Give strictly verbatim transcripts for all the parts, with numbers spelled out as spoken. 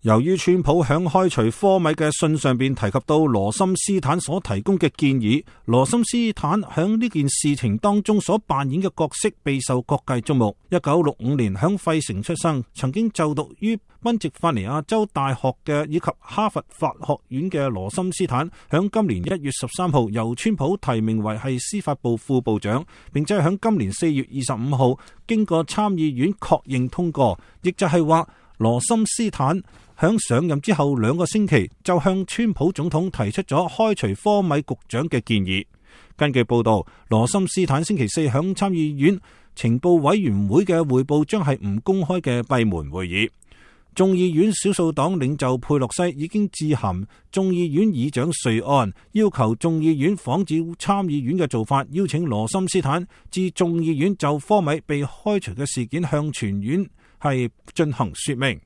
由於川普響開除科米嘅信上邊提及到羅森斯坦所提供嘅建議，羅森斯坦響呢件事情當中所扮演嘅角色備受各界矚目。一九六五年響費城出生，曾經就讀於賓夕法尼亞州大學嘅以及哈佛法學院嘅羅森斯坦，響今年一月十三號由川普提名為係司法部副部長，並且響今年四月二十五號經過參議院確認通過，亦就係話羅森斯坦響上任之後兩個星期就向川普總統提出咗開除科米局長嘅建議。根據報道，羅森斯坦星期四響參議院情報委員會嘅匯報將係唔公開嘅閉門會議。眾議院少數黨領袖佩洛西已經致函眾議院議長瑞安，要求眾議院仿照參議院嘅做法，邀請羅森斯坦至眾議院就科米被開除嘅事件向全院係進行說明。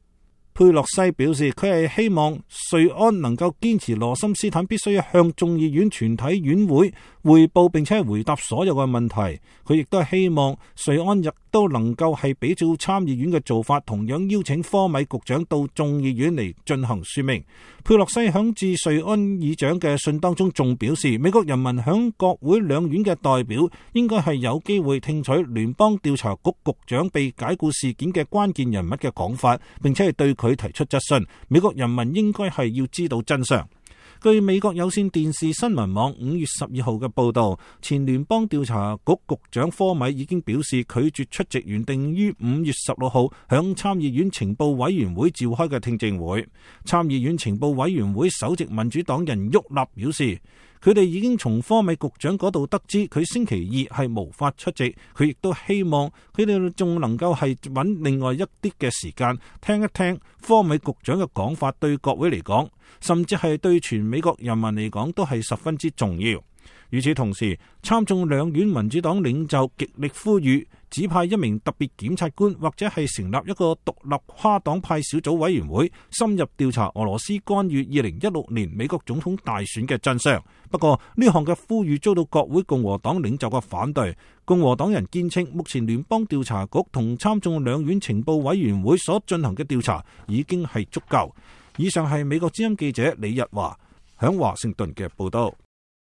佩洛西表示，佢係希望瑞安能夠堅持羅森斯坦必須向眾議院全體院會匯報，並且回答所有嘅問題。佢亦都係希望瑞安亦都能夠係比照參議院嘅做法，同樣邀請科米局長到眾議院嚟進行說明。佩洛西響致瑞安議長嘅信當中仲表示，美國人民響國會兩院嘅代表應該係有機會聽取聯邦調查局局長被解雇事件嘅關鍵人物嘅講法，並且係對佢提出質詢。美國人民應該係要知道真相。據美國有線電視新聞網五月十二號嘅報道，前聯邦調查局局長科米已經表示拒絕出席原定於五月十六號響參議院情報委員會召開嘅聽證會。參議院情報委員會首席民主黨人沃納表示，佢哋已經從科米局長嗰度得知佢星期二係無法出席，佢亦都希望佢哋仲能夠係揾另外一啲嘅時間聽一聽科米局長嘅講法，對各位嚟講，甚至係對全美國人民嚟講都係十分之重要。與此同時，參眾兩院民主黨領袖極力呼籲指派一名特別檢察官，或者係成立一個獨立跨黨派小組委員會，深入調查俄羅斯干預二零一六年美國總統大選嘅真相。不過呢項嘅呼籲遭到國會共和黨領袖嘅反對。共和黨人堅稱，目前聯邦調查局同參眾兩院情報委員會所進行嘅調查已經係足夠。以上係美國之音記者李日華響華盛頓嘅報道。